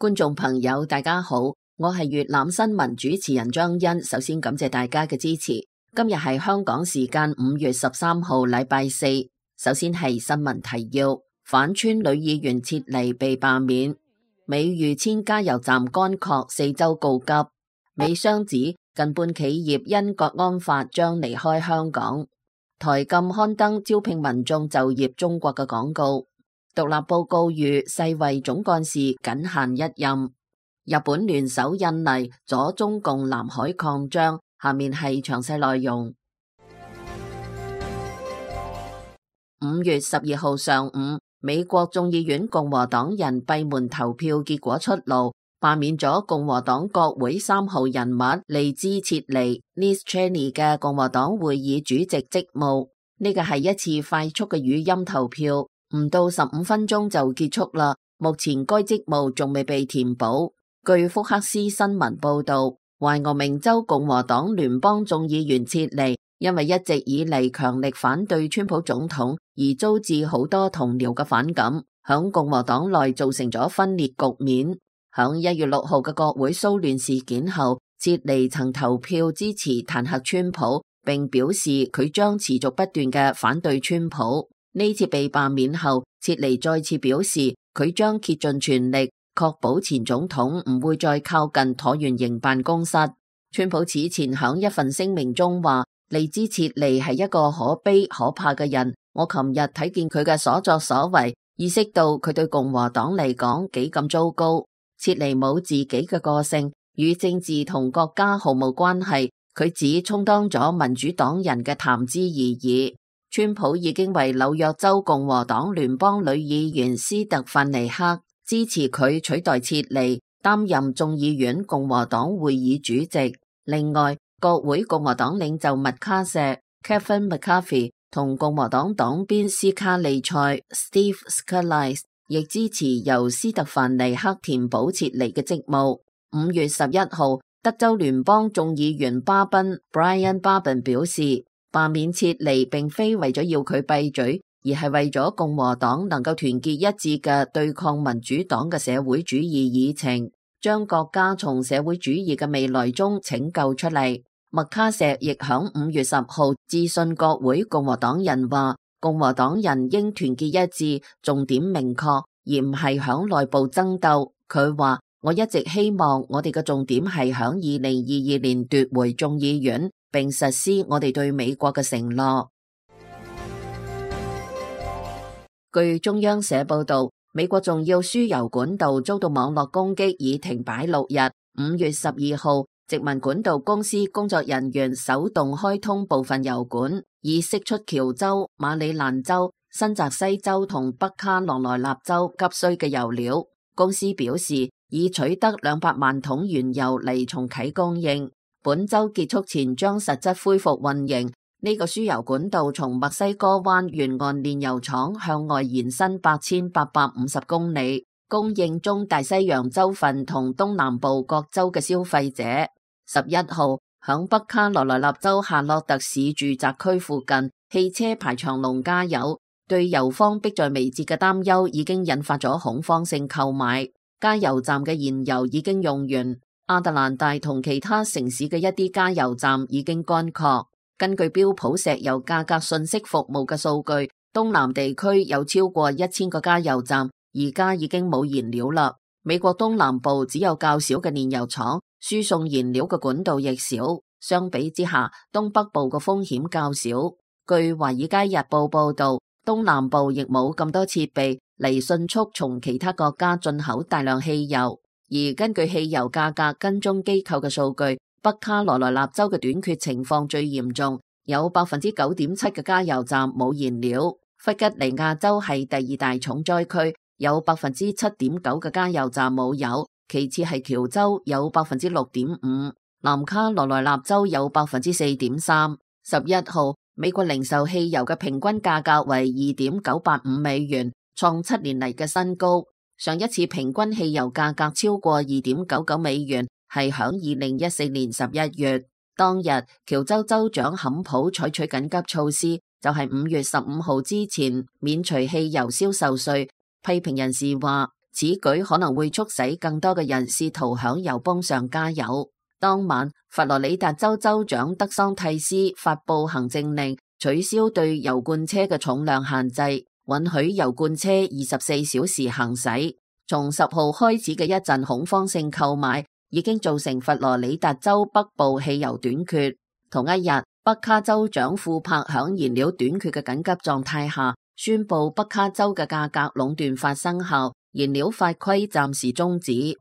觀眾朋友大家好，我係粵覽新聞主持人張欣。首先感謝大家嘅支持。今日係香港時間5月13號禮拜四。首先係新聞提要：反川女議員撤離被罷免，美豫千加油站乾涸，4州告急。美商指近半企業因國安法將離開香港。台禁刊登招聘民眾就業中國嘅廣告。獨立報告籲世衛總幹事僅限一任。日本聯手印尼阻中共南海擴張。下面係詳細內容。5月12號上午，美國眾議院共和黨人閉門投票結果出爐，罷免咗共和黨國會3號人物利茲切尼 Liz Cheney 嘅共和黨會議主席職務。呢個係一次快速嘅語音投票，唔到15分鐘就結束啦。目前該職務仲未被填補。據福克斯新聞報道，懷俄明州共和黨聯邦眾議員切尼因為一直以嚟強力反對川普總統，而遭致好多同僚嘅反感，響共和黨內造成咗分裂局面。響1月6號嘅國會騷亂事件後，切尼曾投票支持彈劾川普，並表示佢將持續不斷嘅反對川普。呢次被罷免後，切尼再次表示佢將竭盡全力確保前總統唔會再靠近橢圓形辦公室。川普此前響一份聲明中話，利茲切尼係一個可悲可怕嘅人。我琴日睇見佢嘅所作所為，意識到佢對共和黨嚟講幾咁糟糕。切尼冇自己嘅個性，與政治同國家毫無關係。佢只充當咗民主黨人嘅談資而已。川普已經為紐約州共和黨聯邦女議員斯特范尼克支持佢取代切尼擔任眾議院共和黨會議主席。另外，國會共和黨領袖麥卡錫 Kevin McCarthy 同共和黨黨鞭斯卡利塞 Steve Scalise 亦支持由斯特范尼克填補切尼嘅職務。5月11號，德州聯邦眾議員巴賓 Brian Babin 表示，罷免切尼並非為咗要佢閉嘴，而係為咗共和黨能夠團結一致嘅對抗民主黨嘅社會主義議程，將國家從社會主義嘅未來中拯救出嚟。麥卡錫亦響5月10號致信國會共和黨人話，共和黨人應團結一致，重點明確，而唔係響內部爭鬥。佢話，我一直希望我哋嘅重點係響2022年奪回眾議院，並實施我哋對美國嘅承諾。據中央社報道，美國重要輸油管道遭到網絡攻擊，已停擺6日。5月12號，殖民管道公司工作人員手動開通部分油管，以釋出喬州、馬里蘭州、新澤西州同北卡羅來納州急需嘅油料。公司表示，已取得200萬桶原油嚟重啟供應，本周結束前將實質恢復運營。呢個輸油管道從墨西哥灣沿岸煉油廠向外延伸8850公里，供應中大西洋州份同東南部各州嘅消費者。11號，響北卡羅來納州夏洛特市住宅區附近，汽車排長龍加油，對油荒迫在眉睫嘅擔憂已經引發咗恐慌性購買。加油站嘅燃油已經用完，亞特蘭大同其他城市嘅一啲加油站已經乾涸。根據標普石油價格信息服務嘅數據，東南地區有超過1000個加油站，而家已經冇燃料啦。美國東南部只有較少嘅煉油廠，輸送燃料嘅管道亦少。相比之下，東北部嘅風險較少。據華爾街日報報道，東南部亦冇咁多設備嚟迅速從其他國家進口大量汽油。而根據汽油價格跟蹤機構嘅數據，北卡羅來納州嘅短缺情況最嚴重，有 9.7% 嘅加油站冇燃料。弗吉尼亞州係第二大重災區，有 7.9% 嘅加油站冇油，其次係喬州有 6.5%， 南卡羅來納州有 4.3%。11號，美國零售汽油嘅平均價格為 2.985 美元，創7年嚟嘅新高。上一次平均汽油價格超過 2.99 美元，係響2014年11月。當日，喬州州長坎普採取緊急措施，就係5月15號之前免除汽油銷售稅。批評人士話，此舉可能會促使更多嘅人試圖響油泵上加油。當晚，佛羅里達州州長德桑蒂斯發布行政令，取消對油罐車嘅重量限制，允許油罐車24小時行駛。從10號開始嘅一陣恐慌性購買，已經造成佛羅里達州北部汽油短缺。同一日，北卡州長庫珀響燃料短缺嘅緊急狀態下，宣布北卡州嘅價格壟斷法生效，燃料法規暫時終止。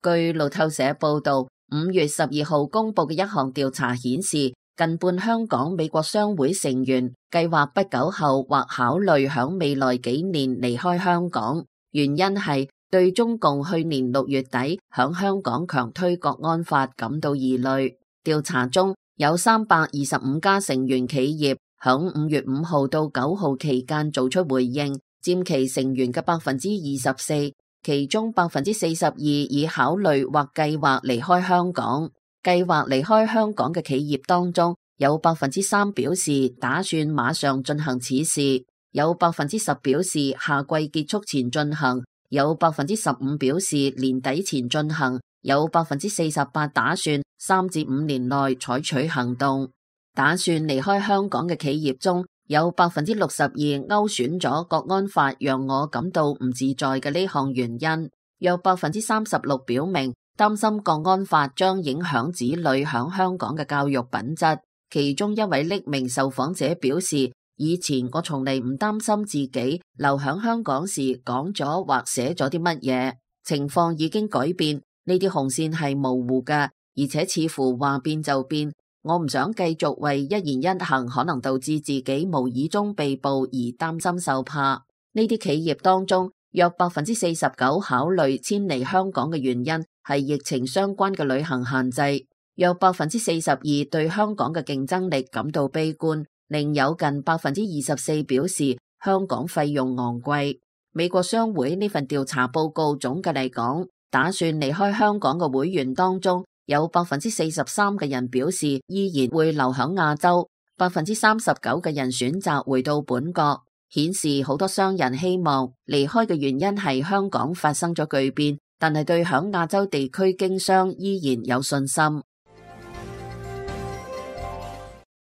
據路透社報道，5月12號公布嘅一項調查顯示，近半香港美國商會成員計劃不久後或考慮響未來幾年離開香港，原因係對中共去年6月底響香港強推國安法感到疑慮。調查中有325家成員企業響5月5號到9號期間做出回應，佔其成員嘅24%。其中42%已考慮或計劃離開香港。計劃離開香港嘅企業當中，有3%表示打算馬上進行此事，有10%表示下季結束前進行，有15%表示年底前進行，有48%打算3至5年內採取行動。打算離開香港嘅企業中，有62%勾選咗國安法讓我感到唔自在嘅呢項原因，有36%表明擔心國安法將影響子女響香港嘅教育品質。其中一位匿名受訪者表示，以前我從嚟唔擔心自己留響香港時講咗或寫咗啲乜嘢，情況已經改變，呢啲紅線係模糊嘅，而且似乎話變就變。我唔想繼續為一言一行可能導致自己無意中被捕而擔心受怕。呢啲企業當中，約49%考慮遷離香港嘅原因係疫情相關嘅旅行限制，約42%對香港嘅競爭力感到悲觀，另有近24%表示香港費用昂貴。美國商會呢份調查報告總嘅嚟講，打算離開香港嘅會員當中，有43%嘅人表示依然會留響亞洲，39%嘅人選擇回到本國，顯示好多商人希望離開嘅原因係香港發生咗巨變，但係對響亞洲地區經商依然有信心。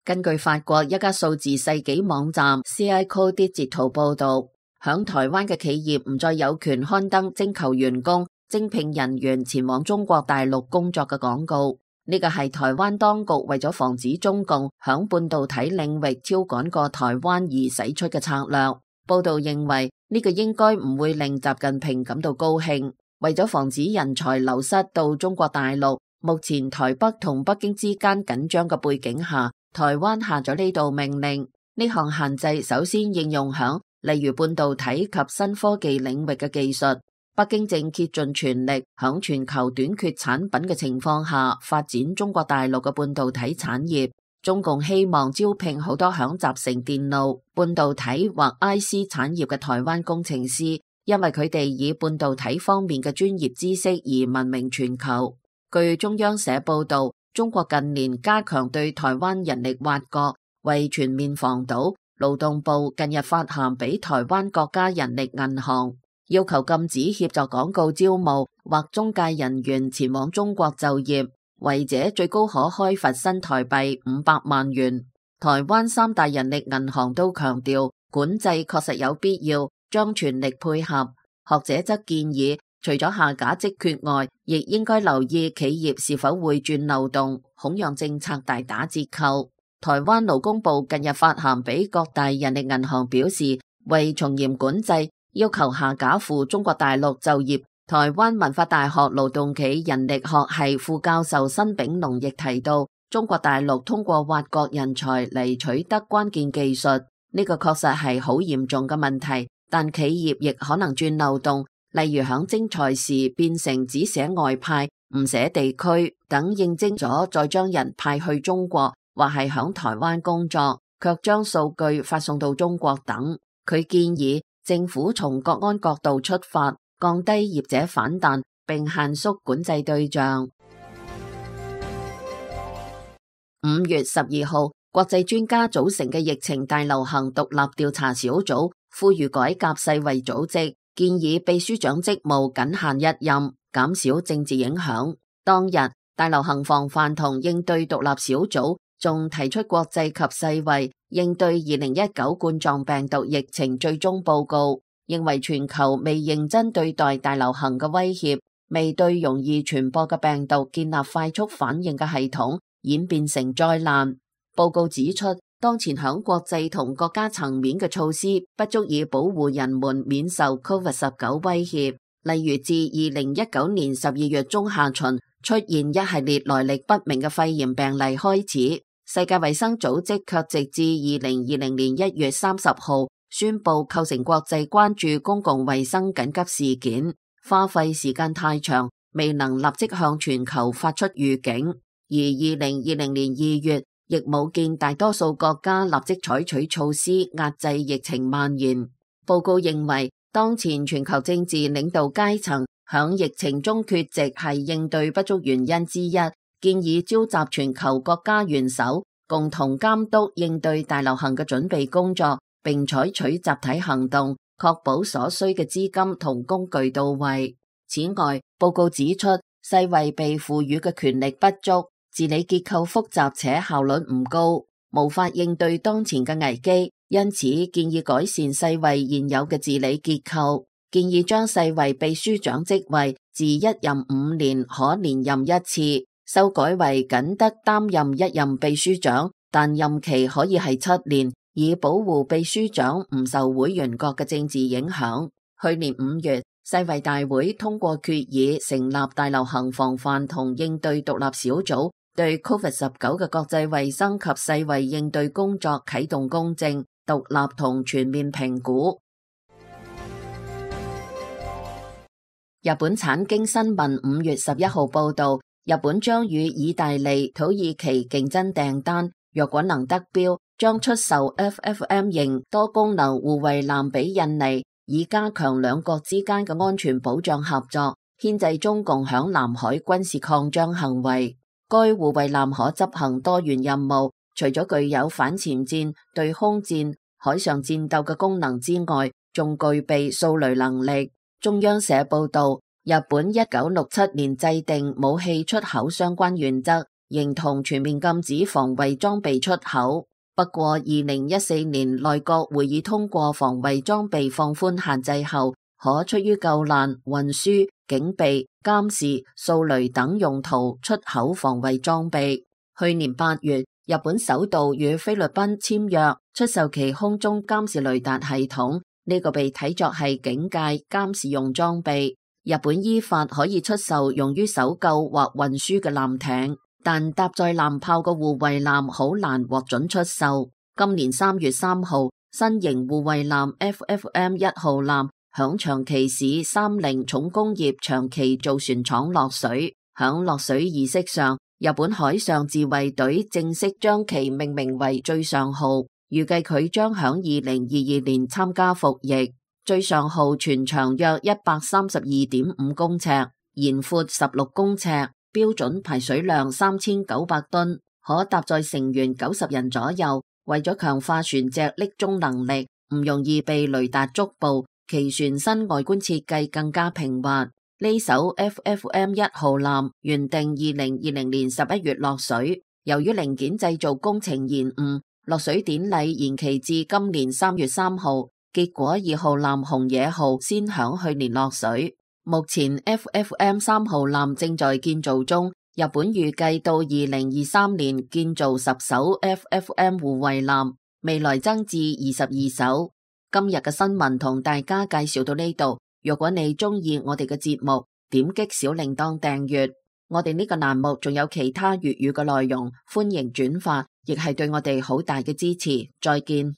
根據法國一家數字世紀網站 CICO Digital 報道，響台灣嘅企業唔再有權刊登徵求員工、徵聘人員前往中國大陸工作嘅廣告，呢個係台灣當局為咗防止中共響半導體領域超趕過台灣而使出嘅策略。報道認為呢個應該唔會令習近平感到高興。為咗防止人才流失到中國大陸，目前台北同北京之間緊張嘅背景下，台灣下咗呢道命令。呢項限制首先應用響例如半導體及新科技領域嘅技術。北京正竭盡全力響全球短缺產品嘅情況下發展中國大陸嘅半導體產業。中共希望招聘好多響集成電路、半導體或 IC 產業嘅台灣工程師，因為佢哋以半導體方面嘅專業知識而聞名全球。據中央社報道，中國近年加強對台灣人力挖角，為全面防堵，勞動部近日發函俾台灣國家人力銀行，要求禁止協助廣告招募或中介人員前往中國就業，違者最高可開罰新台幣500萬元。台灣3大人力銀行都強調，管制確實有必要，將全力配合。學者則建議，除咗下架職缺外，亦應該留意企業是否會鑽漏洞，恐讓政策大打折扣。台灣勞工部近日發函俾各大人力銀行表示，為從嚴管制，要求下架赴中國大陸就業。台灣文化大學勞動企人力學系副教授辛炳龍亦提到，中國大陸通過挖角人才嚟取得關鍵技術，呢個確實係好嚴重嘅問題，但企業亦可能鑽漏洞，例如響徵才時變成只寫外派唔寫地區等，應徵咗再將人派去中國，或係響台灣工作，卻將數據發送到中國等。佢建議政府從國安角度出發，降低業者反彈，並限縮管制對象。5月12號，國際專家組成嘅疫情大流行獨立調查小組呼籲改革世衛組織，建議秘書長職務僅限一任，減少政治影響。當日，大流行防範同應對獨立小組仲提出國際及世衛應對2019冠狀病毒疫情最終報告，認為全球未認真對待大流行嘅威脅，未對容易傳播嘅病毒建立快速反應嘅系統，演變成災難。報告指出，當前響國際同國家層面嘅措施不足以保護人們免受 COVID-19 威脅。例如，自2019年12月中下旬出現一系列來歷不明嘅肺炎病例開始，世界衛生組織卻直至2020年1月30號宣布構成國際關注公共衛生緊急事件，花費時間太長，未能立即向全球發出預警。而2020年2月，亦冇見大多數國家立即採取措施壓制疫情蔓延。報告認為，當前全球政治領導階層響疫情中缺席係應對不足原因之一，建議召集全球國家元首共同監督應對大流行嘅準備工作，並採取集體行動，確保所需嘅資金同工具到位。此外，報告指出，世衛被賦予嘅權力不足，治理結構複雜且效率唔高，無法應對當前嘅危機，因此建議改善世衛現有嘅治理結構，建議將世衛秘書長職位自一任5年可連任一次，修改為僅得擔任一任秘書長，但任期可以係7年，以保護秘書長唔受會員國嘅政治影響。去年5月，世衛大會通過決議，成立大流行防範同應對獨立小組，對 COVID-19 嘅國際衛生及世衛應對工作啟動公正、獨立同全面評估。日本產經新聞5月11號報道，日本將與意大利、土耳其競爭訂單，若果能得標，將出售 FFM 型多功能護衛艦俾印尼，以加強兩國之間嘅安全保障合作，牽制中共響南海軍事擴張行為。該護衛艦可執行多元任務，除咗具有反潛艦、對空戰、海上戰鬥嘅功能之外，仲具備掃雷能力。中央社報道，日本1967年制定武器出口相關原則，認同全面禁止防衛裝備出口。不過2014年內閣會議通過防衛裝備放寬限制後，可出於救難、運輸、警備、監視、掃雷等用途出口防衛裝備。去年8月，日本首度與菲律賓簽約，出售其空中監視雷達系統，呢個被睇作係警戒監視用裝備。日本依法可以出售用於搜救或運輸嘅艦艇，但搭載艦炮嘅護衛艦好難獲准出售。今年3月3號，新型護衛艦 FFM 1號艦響長崎市30重工業長崎造船廠落水。響落水儀式上，日本海上自衛隊正式將其命名為最上號，預計佢將響2022年參加服役。最上號全長約132.5公尺，延闊16公尺，標準排水量3900噸，可搭載成員90人左右。為咗強化船隻匿蹤能力，唔容易被雷達捉捕，其船身外觀設計更加平滑。呢艘 FFM 1號艦原定2020年11月落水，由於零件製造工程延誤，落水典禮延期至今年3月3號。結果2號艦紅野號先響去年落水。目前 FFM 3號艦正在建造中，日本預計到2023年建造10艘 FFM 護衛艦，未來增至22艘。今日嘅新聞同大家介紹到呢度。如果你中意我哋嘅節目，點擊小鈴鐺訂閱。我哋呢個欄目仲有其他粵語嘅內容，歡迎轉發，亦係對我哋好大嘅支持。再見。